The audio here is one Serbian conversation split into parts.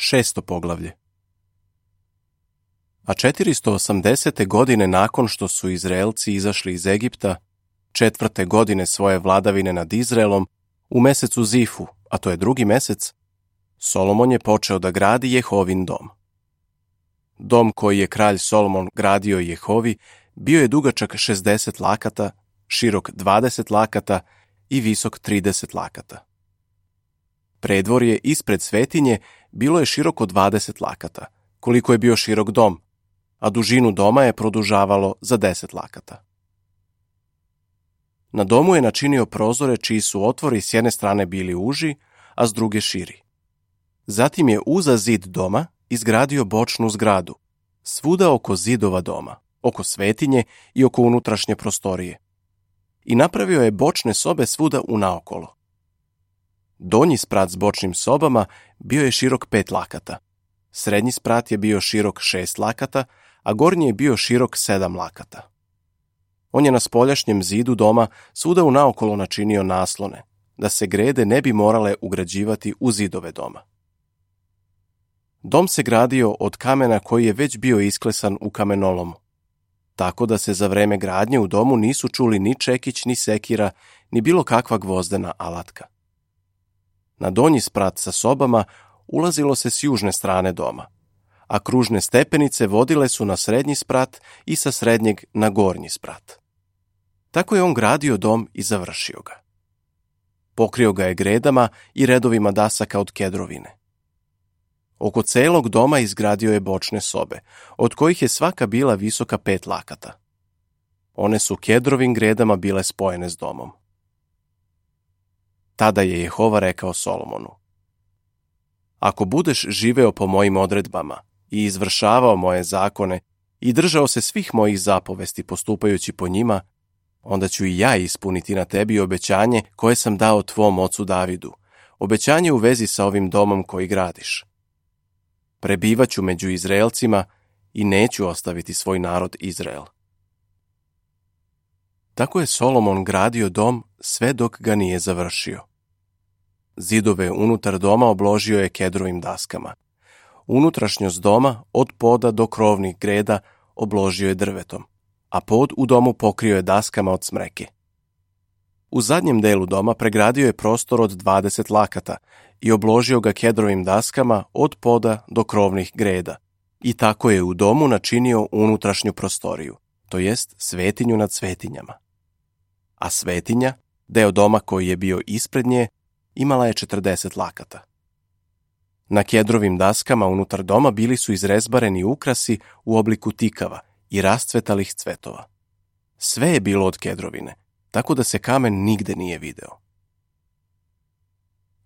6. poglavlje. A 480. godine nakon što su Izraelci izašli iz Egipta, 4. godine svoje vladavine nad Izraelom, u mesecu Zifu, a to je 2. mesec, Solomon je počeo da gradi Jehovin dom. Dom koji je kralj Solomon gradio Jehovi bio je dugačak 60 lakata, širok 20 lakata i visok 30 lakata. Predvorje ispred svetinje bilo je široko 20 lakata, koliko je bio širok dom, a dužinu doma je produžavalo za 10 lakata. Na domu je načinio prozore čiji su otvori s jedne strane bili uži, a s druge širi. Zatim je uza zid doma izgradio bočnu zgradu, svuda oko zidova doma, oko svetinje i oko unutrašnje prostorije. I napravio je bočne sobe svuda unaokolo. Donji sprat s bočnim sobama bio je širok 5 lakata. Srednji sprat je bio širok 6 lakata, a gornji je bio širok 7 lakata. On je na spoljašnjem zidu doma svuda unaokolo načinio naslone, da se grede ne bi morale ugrađivati u zidove doma. Dom se gradio od kamena koji je već bio isklesan u kamenolomu, tako da se za vreme gradnje u domu nisu čuli ni čekić, ni sekira, ni bilo kakva gvozdena alatka. Na donji sprat sa sobama ulazilo se s južne strane doma, a kružne stepenice vodile su na srednji sprat i sa srednjeg na gornji sprat. Tako je on gradio dom i završio ga. Pokrio ga je gredama i redovima dasaka od kedrovine. Oko celog doma izgradio je bočne sobe, od kojih je svaka bila visoka 5 lakata. One su kedrovim gredama bile spojene s domom. Tada je Jehova rekao Solomonu: Ako budeš živeo po mojim odredbama i izvršavao moje zakone i držao se svih mojih zapovesti postupajući po njima, onda ću i ja ispuniti na tebi obećanje koje sam dao tvom ocu Davidu, obećanje u vezi sa ovim domom koji gradiš. Prebivaću među Izraelcima i neću ostaviti svoj narod Izrael. Tako je Solomon gradio dom sve dok ga nije završio. Zidove unutar doma obložio je kedrovim daskama. Unutrašnjost doma od poda do krovnih greda obložio je drvetom, a pod u domu pokrio je daskama od smreke. U zadnjem delu doma pregradio je prostor od 20 lakata i obložio ga kedrovim daskama od poda do krovnih greda. I tako je u domu načinio unutrašnju prostoriju, to jest svetinju nad svetinjama. A svetinja, deo doma koji je bio ispred nje, imala je 40 lakata. Na kedrovim daskama unutar doma bili su izrezbareni ukrasi u obliku tikava i rascvetalih cvetova. Sve je bilo od kedrovine, tako da se kamen nigde nije video.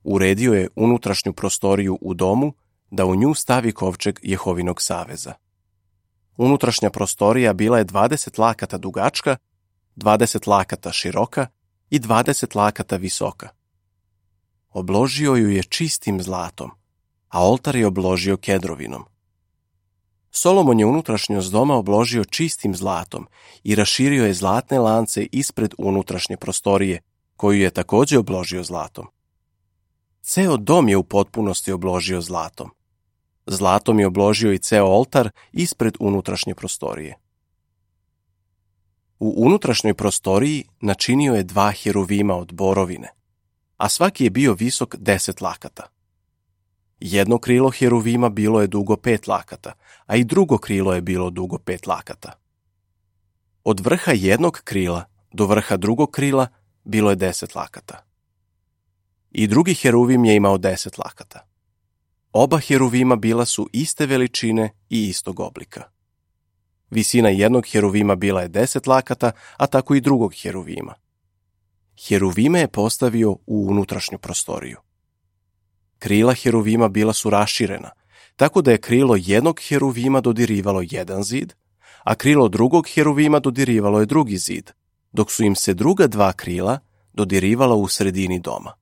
Uredio je unutrašnju prostoriju u domu da u nju stavi kovčeg Jehovinog saveza. Unutrašnja prostorija bila je 20 lakata dugačka, 20 lakata široka i 20 lakata visoka. Obložio ju je čistim zlatom, a oltar je obložio kedrovinom. Solomon je unutrašnjost doma obložio čistim zlatom i raširio je zlatne lance ispred unutrašnje prostorije, koju je također obložio zlatom. Ceo dom je u potpunosti obložio zlatom. Zlatom je obložio i ceo oltar ispred unutrašnje prostorije. U unutrašnjoj prostoriji načinio je 2 heruvima od borovine, a svaki je bio visok 10 lakata. Jedno krilo heruvima bilo je dugo 5 lakata, a i drugo krilo je bilo dugo 5 lakata. Od vrha jednog krila do vrha drugog krila bilo je 10 lakata. I drugi heruvim je imao 10 lakata. Oba heruvima bila su iste veličine i istog oblika. Visina jednog heruvima bila je 10 lakata, a tako i drugog heruvima. Heruvime je postavio u unutrašnju prostoriju. Krila heruvima bila su raširena, tako da je krilo jednog heruvima dodirivalo jedan zid, a krilo drugog heruvima dodirivalo je drugi zid, dok su im se druga 2 krila dodirivala u sredini doma.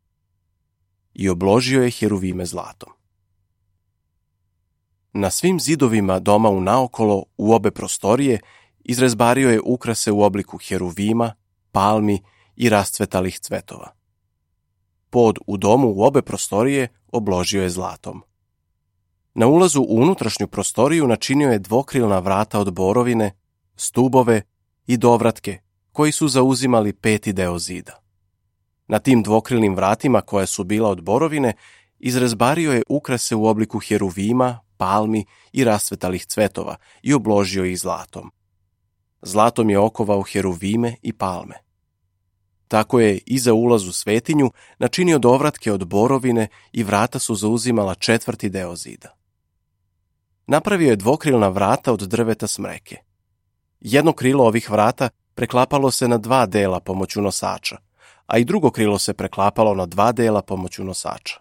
I obložio je heruvime zlatom. Na svim zidovima doma unaokolo u obe prostorije izrezbario je ukrase u obliku heruvima, palmi i rascvetalih cvetova. Pod u domu u obe prostorije obložio je zlatom. Na ulazu u unutrašnju prostoriju načinio je dvokrilna vrata od borovine, stubove i dovratke, koji su zauzimali 5. deo zida. Na tim dvokrilnim vratima, koja su bila od borovine, izrezbario je ukrase u obliku heruvima, palmi i rasvetalih cvetova i obložio ih zlatom. Zlatom je okovao heruvime i palme. Tako je i za ulaz u svetinju načinio dovratke od borovine i vrata su zauzimala 4. deo zida. Napravio je dvokrilna vrata od drveta smreke. Jedno krilo ovih vrata preklapalo se na 2 dela pomoću nosača, a i drugo krilo se preklapalo na 2 dela pomoću nosača.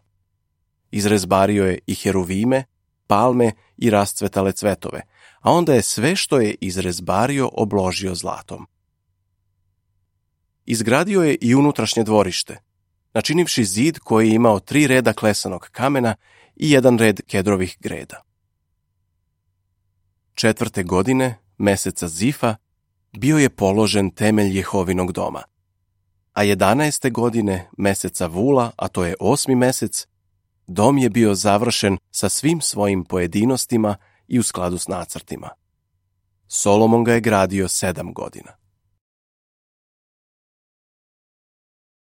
Izrezbario je i heruvime, palme i rascvetale cvetove, a onda je sve što je izrezbario obložio zlatom. Izgradio je i unutrašnje dvorište, načinivši zid koji je imao 3 reda klesanog kamena i 1 red kedrovih greda. 4. godine, meseca Zifa, bio je položen temelj Jehovinog doma, a 11. godine, meseca Vula, a to je 8. mesec, dom je bio završen sa svim svojim pojedinostima i u skladu s nacrtima. Solomon ga je gradio 7 godina.